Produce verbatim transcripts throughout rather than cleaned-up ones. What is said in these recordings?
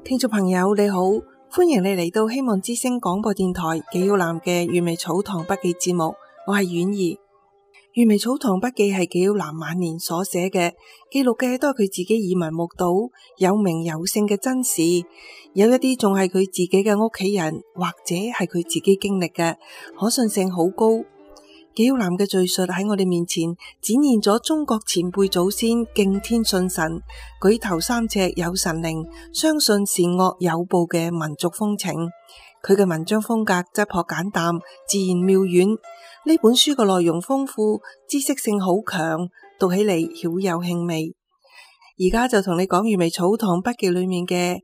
聽眾朋友你好，歡迎你嚟到希望之聲廣播電台紀曉嵐嘅閱微草堂筆記節目，我係婉兒。閱微草堂筆記係紀曉嵐晚年所寫嘅，記錄嘅都係佢自己耳聞目睹、有名有姓嘅真事，有一啲仲係佢自己嘅屋企人或者係佢自己經歷嘅，可信性好高。紀曉嵐嘅敘述喺我哋面前展現咗中國前輩祖先敬天信神、舉頭三尺有神靈、相信善惡有報嘅民族風情。佢嘅文章風格質樸簡淡、自然妙遠。呢本書嘅內容豐富，知識性好強，讀起嚟曉有興味。而家就同你講閱微草堂筆記裏面嘅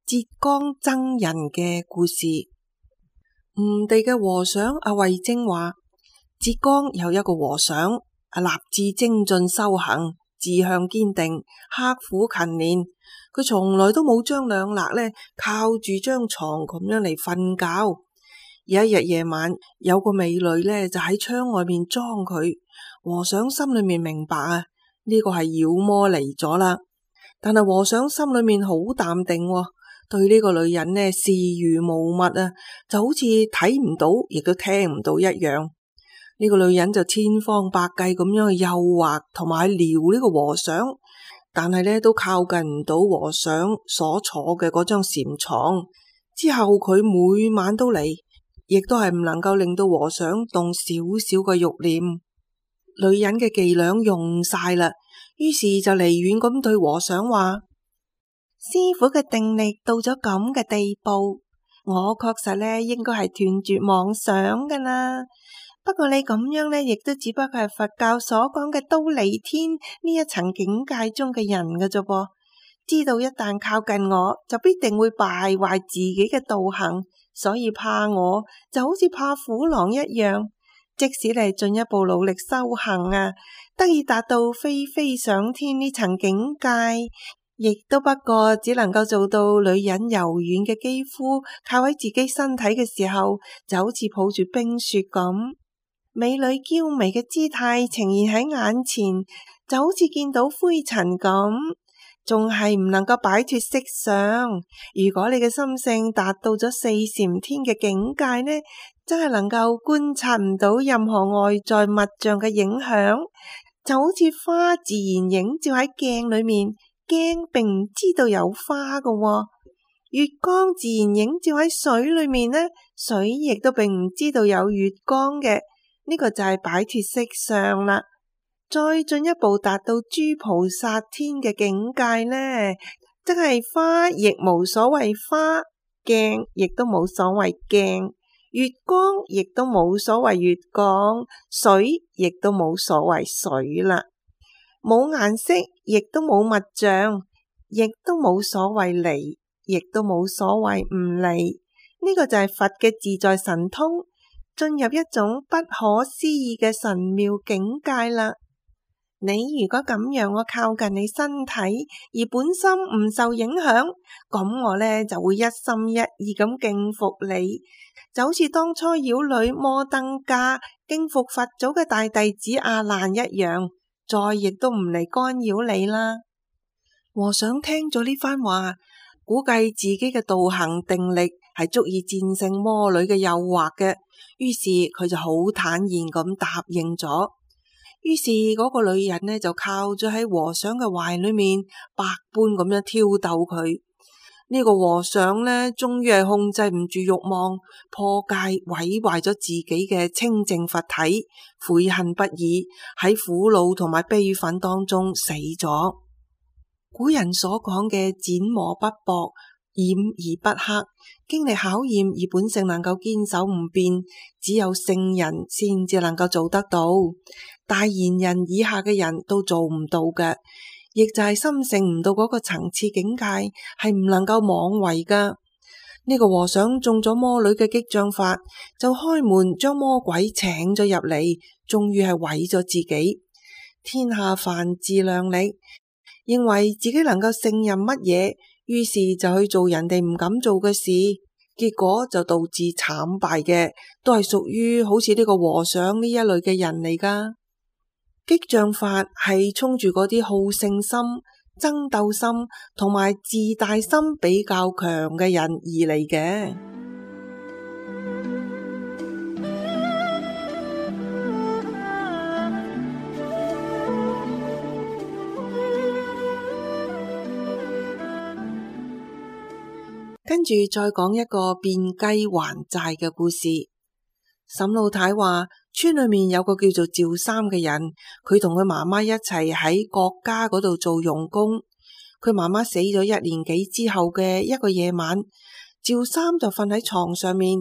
浙江僧人嘅故事。吳地嘅和尚阿慧貞話，浙江有一個和尚，立志精進修行，志向堅定，刻苦勤練。佢從來都冇將兩肋呢靠住張床咁樣嚟瞓覺。有一日夜晚，有個美女呢就喺窗外面裝佢。和尚心裏面明白啊，呢個係妖魔嚟咗啦。但係和尚心裏面好淡定，對呢個女人呢視如無物啊，就好似睇唔到，亦都聽唔到一樣。呢個女人就千方百計咁樣去誘惑同埋撩呢個和尚，但係呢都靠近唔到和尚所坐嘅嗰張禪床。之後佢每晚都嚟，亦都係唔能夠令到和尚動少少嘅慾念。女人嘅伎倆用晒啦，於是就離遠咁對和尚話：師傅嘅定力到咗咁嘅地步，我確實呢應該係斷絕妄想噶啦。不過你咁樣呢，亦都只不過係佛教所講嘅忉利天呢一層境界中嘅人嘅啫噃。知道一旦靠近我，就必定會敗壞自己嘅道行，所以怕我就好似怕虎狼一樣。即使你進一步努力修行啊，得以達到飛飛上天呢層境界，亦都不過只能夠做到女人柔軟嘅肌膚靠喺自己身體嘅時候，就好似抱住冰雪咁。美女嬌媚嘅姿態呈現喺眼前，就好似見到灰塵咁，仲係唔能夠擺脫色相。如果你嘅心性達到咗四禪天嘅境界呢，真係能夠觀察唔到任何外在物象嘅影響，就好似花自然映照喺鏡裏面，鏡並唔知道有花㗎喎。月光自然映照喺水裏面呢，水亦都並唔知道有月光嘅。呢個就係擺脫色相啦。再進一步達到諸菩薩天嘅境界呢，即係花亦無所謂花，鏡亦都冇所謂鏡，月光亦都冇所謂月光，水亦都冇所謂水啦。冇顏色，亦都冇物象，亦都冇所謂離，亦都冇所謂唔離。呢個就係佛嘅自在神通，進入一種不可思議嘅神妙境界啦。你如果咁讓我靠近你身體，而本心唔受影響，咁我呢就會一心一意咁敬服你，就好似當初妖女摩登伽敬服佛祖嘅大弟子阿難一樣，再亦都唔嚟干擾你啦。和尚聽咗呢番話，估計自己嘅道行定力係足以戰勝魔女嘅誘惑嘅，於是佢就好坦然咁答應咗。於是嗰個女人呢就靠咗喺和尚嘅懷裏面，百般咁樣挑逗佢。呢個和尚呢終於係控制唔住慾望，破戒毀壞咗自己嘅清淨佛體，悔恨不已，喺苦惱同埋悲憤當中死咗。古人所講嘅剪磨不薄，染而不黑，經歷考驗而本性能夠堅守唔變，只有聖人先至能夠做得到，大賢人以下嘅人都做唔到嘅，亦就係心性唔到嗰個層次境界，係唔能夠妄為噶。呢個和尚中咗魔女嘅激將法，就開門將魔鬼請咗入嚟，終於係毀咗自己。天下凡自量力，認為自己能夠勝任乜嘢，於是就去做人哋唔敢做嘅事，結果就導致慘敗嘅，都係屬於好似呢個和尚呢一類嘅人嚟噶。激將法係衝住嗰啲好勝心、爭鬥心同埋自大心比較強嘅人而嚟嘅。跟住再講一個變雞還債嘅故事。沈老太話，村裏面有個叫做趙三嘅人，佢同佢媽媽一齊喺國家嗰度做傭工。佢媽媽死咗一年幾之後嘅一個夜晚，趙三就瞓喺床上面，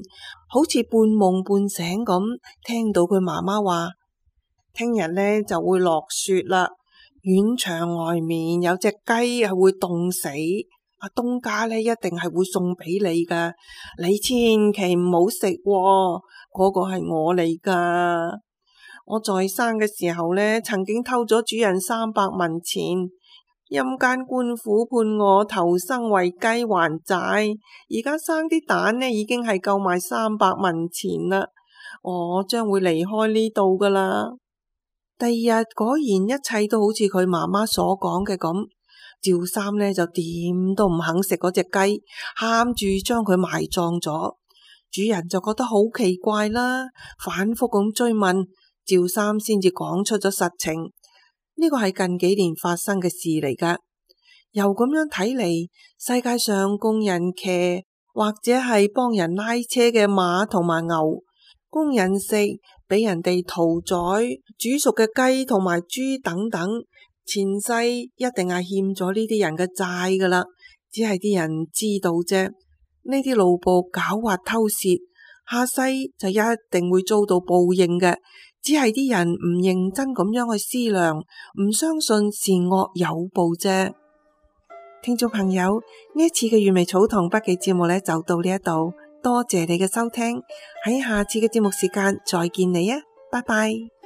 好似半夢半醒咁，聽到佢媽媽話：聽日呢就會落雪啦，院牆外面有隻雞係會凍死。阿東家呢一定係會送俾你噶，你千祈唔好食，嗰個係我嚟噶。我在生嘅時候呢，曾經偷咗主人三百文錢，陰間官府判我投生為雞還債，而家生啲蛋呢已經係夠賣三百文錢啦。我將會離開呢度噶啦。第二日果然一切都好似佢媽媽所講嘅咁。趙三呢就點都唔肯食嗰隻雞，喊住將佢埋葬咗。主人就覺得好奇怪啦，反覆咁追問，趙三先至講出咗實情。呢個係近幾年發生嘅事嚟噶。由咁樣睇嚟，世界上供人騎或者係幫人拉車嘅馬同埋牛，供人食俾人哋屠宰煮熟嘅雞同埋豬等等，前世一定係欠咗呢啲人嘅債噶啦，只係啲人唔知道啫。呢啲奴僕狡猾偷竊，下世就一定會遭到報應嘅，只係啲人唔認真咁樣去思量，唔相信善惡有報啫。聽眾朋友，呢一次嘅粵味草堂筆記節目呢就到呢一度，多謝你嘅收聽，喺下次嘅節目時間再見你啊，拜拜。